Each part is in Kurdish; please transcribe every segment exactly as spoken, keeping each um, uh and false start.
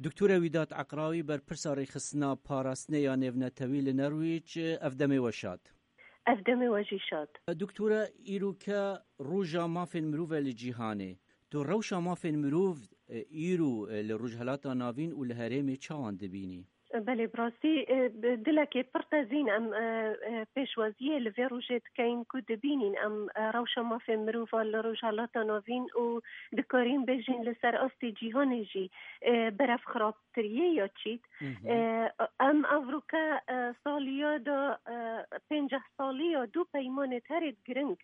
Doktore Wîdat Eqrawî, berpirsa rêxistina parastinê ya nêvnetewî li Nerwîc, ev demê we şad. Ev demê we jî şad. Doktore, îroke roja mafên mirov e li cîhanê. Tu rewşa mafên mirov, e, îro, e, li Rojhelata Navîn û li herêmê çawan dibînî? Belê, bi rastî, e, bi dilekê pir tezîn em, e, e, pêşwaziyê li vê rojê dikeyin ku dibînîn em, e, rewşa mafên mirova li Rojhelata Navîn û dikarîn bêjin li ser astê cîhanê jî, e, berev xirab tiriyê ya çît. Hı hı. E, em evroke, e, saliya da, e, pênceh saliya du peymanê herêt giring,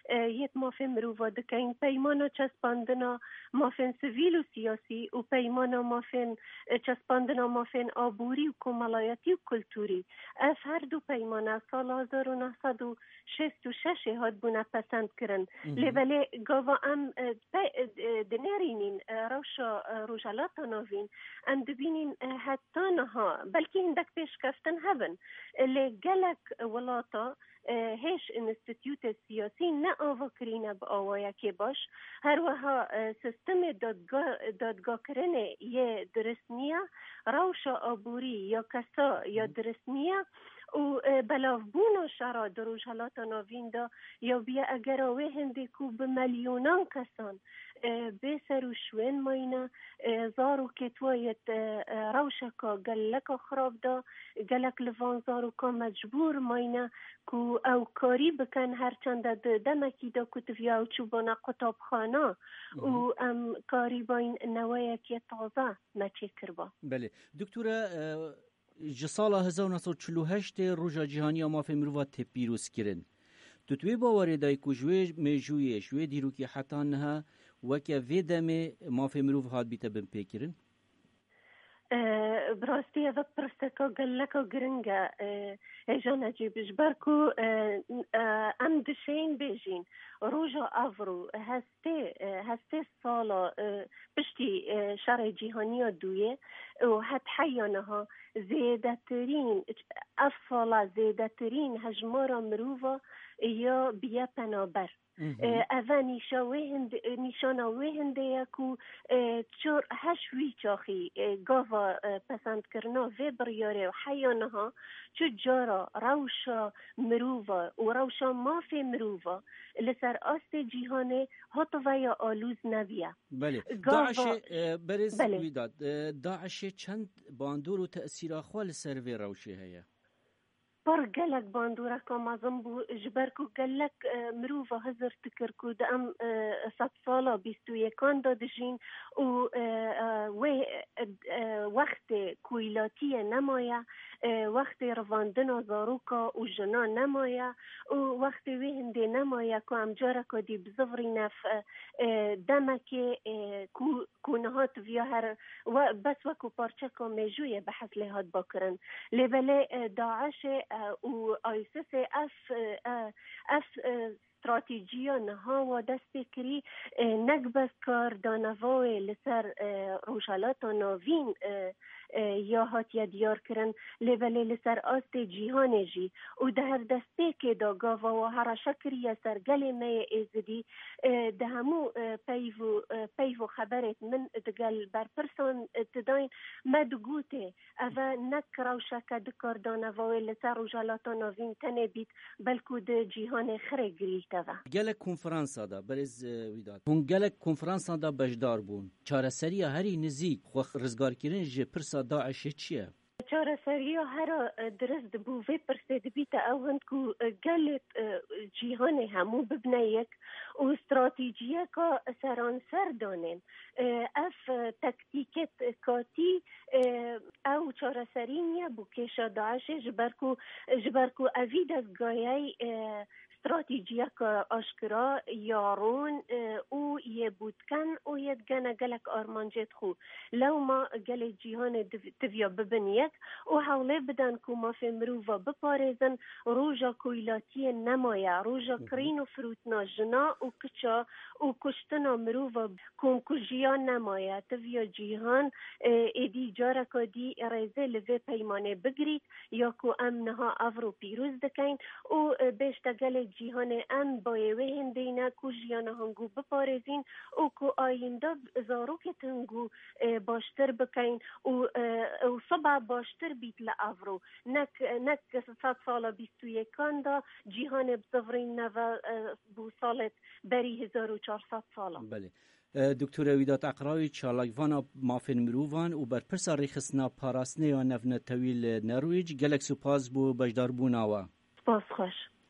e, yêt mafê mirova dikeyin. Peymana çespandina mafên sivîl û siyasî û peymana mafên, e, çespandina mafên aborî û komelayetî û kulturî. Ev her du peymana sala hezar û neh sed û şêst û şeş ê hatbûne pesend kirin. Hı hı. Lê belê gava em, e, pe-, e, e, dinêrînîn, e, rewşa, e, Rojhelata Navîn, em dibînîn, e, heta niha, belkî hindek pêşkeftin hebin, e, lê gelek welata, e, hêj înstîtûtê siyasî ne ava kirîne bi awayekê baş. Her wiha, e, sistemê dadga-, dadgakirinê yê dirist niye, rewşa aborî ya kesa ya Hı. dirist niye û, e, belavbûna şera di Rojhelata Navîn de ya bûye egera wê hindê ku bi milyonan kesan, e, bê ser û şwên mayne, e, zarokêt wa yêt, e, e, rewşeka geleka xirab de, gelek li van zarokan mecbûr mayne ku ew karî bikin, her çende di demekî de ku diviya ew çûbûna qutabxana Hı hı. û em karîbayîn neweyekê taze me çêkirba. Belê. Doktore, e, ji sala hezar û neh sed û çil û heşt ê Roja Cîhanî ya Mafê Mirova tê pîrozkirin. Tu di wê bawerê de yî ku ji wê mêjûyê, ji wê dîrokê heta niha weke vê demê mafê mirov hat bîte binpêkirin? E, bi rastî ev pirseka geleka giring e, e, hêja Necîb, ji ber ku, e, e, em dişên bêjîn roja evro hestê, e, hestê sala, e, piştî, e, şerê cîhanî ya duyê û het heya niha zêdetirîn, ev sala zêdetirîn hejmara mirova ya biye penaber. Hı hı. E, eve nîşa wê hindê, e, nîşana wê hindê ye ku, e, çor heş wî çaxî, e, gava, e, pesendkirina vê biryarê û heya niha çi cara rewşa mirova û rewşa mafê mirova li ser astê cîhanê hativeya alûz nebiye. Belê. Gava DAIŞê, e, berêz Belê. Wîdat, e, DAIŞê çend bandor û tesîra xwe li ser vê rewşê heye? Pir gelek bandoreka mezin bû, ji ber ku gelek, e, mirova hizir dikir ku di em, e, sedsala bîst û yekan de dijîn û, e, e, wê, e, e, wextê koylatiyê nemaye, e, wextê rivandina zaroka û jina nemaye û wextê wê hindê nemaye ku em careka dî bizivirîne f-, e, demekê, e, ku ku niha tiviya her we, bes wekî parçeka mêjûyê behs lê hat bakirin. Lê belê, e, DAIŞê, e, û ISISê ev, e, e, ev, e, stratîjiya niha wa dest pê kirî, e, nek bes kar daneva wê li ser, e, Rojhelata Navîn, e, e, ya hatiye diyar kirin, lê belê li ser astê cîhanê jî û di her destpêkê de gava wa hereşe kiriye ser gelê me yê Êzidî, e, di hemû, e, peyv û, e, peyv û xeberêt min digel berpirsan, e, didayîn, me digotê, eve nek rewşeke di kar daneva wê li ser Rojhelata Navîn tenê bît, belkû di cîhanê xirê girî teve. Gelek konferansa de, berêz, e, Wîdat, hûn gelek konferansa de beşdar bûn. Çareseriya herî nizîk xwe rizgarkirin ji pirsa DAIŞê çi ye? Çareseriya hera, e, dirist dibû vê pirsê dibîte ew hin ku, e, gelê, e, cîhanê hemû bibine yek û stratejiyeka seranser danên. E, ev, e, taktîkê katî, e, ew çareserî niye bo kêşa DAIŞê, ji ber ku, ji ber ku evî destgayey, e, stratejiyeke aşkira ya rûn, e, û yê bûtken û yê digene gelek armancêt xwe. Lewma gelê cîhanê div-, tiviya bibin yek û hewlê bidin ku mafê mirova biparêzin, roja koylatiyê nemaye, roja Hı hı. kirîn û firûtina jina û kiça û kuştina mirova, komkujiya nemaye. Tiviya cîhan, e, êdî Careka dî rêzê li vê peymanê bigirît ya ku em niha evro pîroz dikeyn û, e, bêjte gelê cîhanê em bayê wê hindê ne ku jiyana hingû biparêzîn û ku ayînda zarokê hingû, e, baştir bikeyn û, e, û sibe baştir bît li evro. Nek, nek sed sala bîst û yekan de cîhanê bi zivirîn neve, e, bû salê berî hezar û çar sed sala. Belê. E, Doktore Wîdat Eqrawî, çalakvana mafên mirovan û berpirsa rêxistina parastinê ya navnetewî li Norwêc, gelek spas bo beşdarbûna we. Spas xweş.